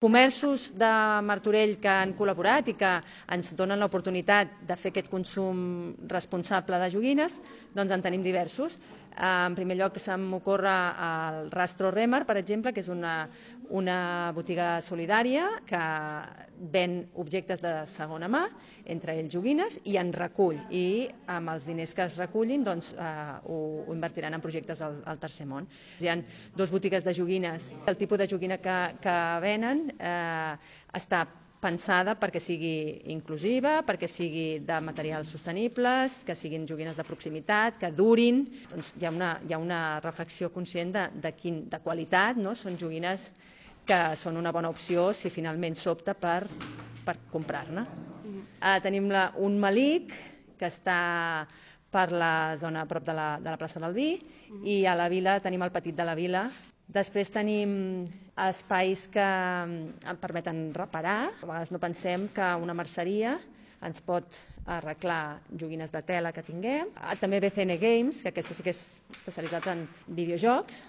Comerços de Martorell que han col·laborat i que ens donen l'oportunitat de fer aquest consum responsable de joguines, doncs en tenim diversos. En primer lloc se m'ocorre el Rastro Remar, per exemple, que és una botiga solidària que ven objectes de segona mà, entre ells joguines, i en recull. I amb els diners que es recullin doncs, ho invertiran en projectes al tercer món. Hi ha dues botigues de joguines. El tipus de joguina que venen està pensada perquè sigui inclusiva, perquè sigui de materials sostenibles, que siguin joguines de proximitat, que durin. Doncs hi ha una reflexió conscient de qualitat, no? Són joguines que són una bona opció si finalment s'opta per comprar-ne. Tenim un Melic, que està per la zona a prop de la plaça del Vi, i a la Vila tenim el Petit de la Vila. Després tenim espais que permeten reparar. A vegades no pensem que una merceria ens pot arreglar joguines de tela que tinguem. També BCN Games, que aquesta sí que és especialitzat en videojocs.